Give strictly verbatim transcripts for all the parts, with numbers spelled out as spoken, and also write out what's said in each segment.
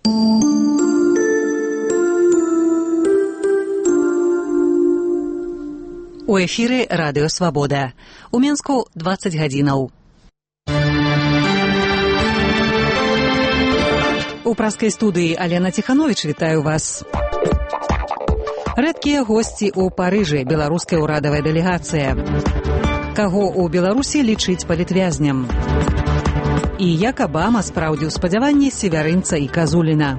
У эфіры Радыё Свабода. У Менску дваццаць гадзінаў. У праскай студыі Алена Ціхановіч вітаю вас. Рэдкія госці ў Парыжы, беларуская ўрадавая дэлегацыя. Каго ў Беларусі лічыць палітвязням? І як Абама спраўдзіў спадзяванні севярынца і Казуліна.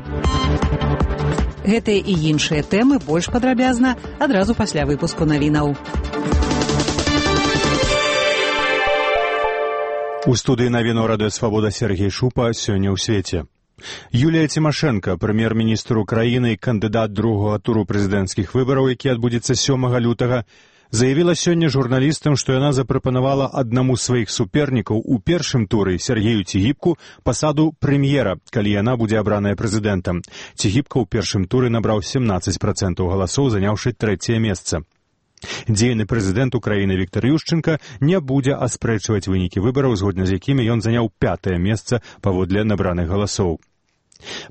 Гэтыя і іншыя тэмы больш падрабязна адразу пасля выпуску навінаў. У студыі навінаў Радыё Свабода Сергей Шупа сёння ў свеце. Юлія Цімашэнка, прэм'ер-міністр Украіны і кандыдат другога туру прэзідэнцкіх выбараў, які адбудзецца сёмага лютага, заявіла сёння журналістам, што яна запрапанавала аднаму з сваіх супернікаў у першым туры Сергею Цігіпку пасаду прэм'ера, калі яна будзе абраная прэзідэнтам. Цігіпка ў першым туры набраў сямнаццаць працэнтаў галасоў, заняўшы трэцяе месца. Дзейны прэзідэнт Украіны Віктар Ющэнка не будзе аспрэчваць вынікі выбараў, згодна з якімі ён заняў пятае месца паводле набраных галасоў.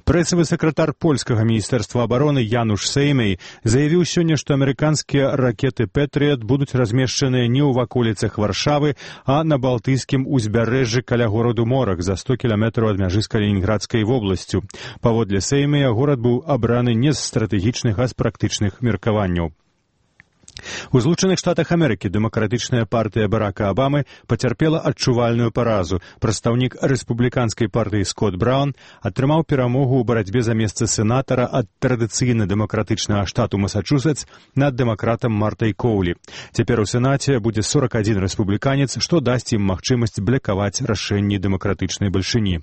Прэсавы сакратар польскага міністэрства абароны Януш Сеймей заявіў сёння, што амерыканскія ракеты «Пэтрыят» будуць размешчаныя не ў ваколіцах Варшавы, а на балтыйскім узбярэжжы каля гораду Морах за сто кіламетраў ад мяжы з Калінінградскай вобласцю. Паводле Сеймея горад быў абраны не з стратэгічных, а з практычных меркаванняў. У Злучаных Штатах Амерыкі дэмакратычная партыя Барака Абамы пацярпела адчувальную паразу. Прадстаўнік рэспубліканскай партыі Скотт Браўн атрымаў перамогу ў барацьбе за месца сенатара ад традыцыйна дэмакратычнага штату Масачусетс над дэмакратам Мартай Коўлі. Цяпер у Сенаце будзе сорак адзін рэспубліканец, што дасць ім магчымасць блакаваць рашэнні дэмакратычнай бальшыні.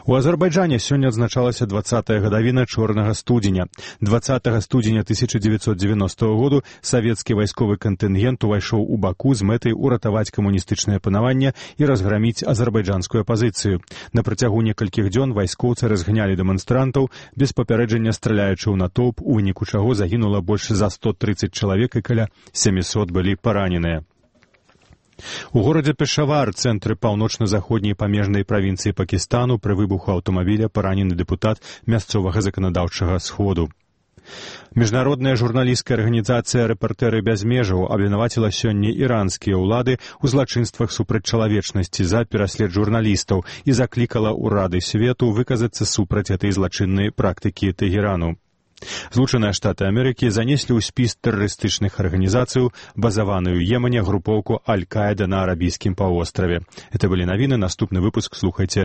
У Азербайджане сёння адзначалася дваццатая гадавіна чорнага студзеня. дваццатага студзеня тысяча дзевяцьсот дзевяностага году савецкі вайсковы кантынгент увайшоў у Баку з мэтай уратаваць камуністычнае панаванне і разграміць азербайджанскую апазіцыю. На працягу некалькіх дзён вайскоўцы разгнялі дэманстрантаў, без папярэджання страляючы ў натоўп, у выніку чаго загінула больш за сто трыццаць чалавек і каля сямісот былі параненыя. У горадзе Пешавар, цэнтры паўночна-заходняй памежнай правінцыі Пакістану, пры выбуху аўтамабіля паранены дэпутат мясцовага заканадаўчага сходу. Міжнародная журналісцкая арганізацыя «Рэпартэры без межаў» абвінаваціла сёння іранскія ўлады ў злачынствах супраць чалавечнасці за пераслед журналістаў і заклікала ўрады свету выказацца супраць этой злачыннай практыкі Тэгерану. Злучаныя Штаты Амерыкі занеслі ў спіс тэрарыстычных арганізацый, базаваную ў Йемане групоўку Аль-Каіда на арабійскім паўвостраве. Это былі навіны, наступны выпуск слухайце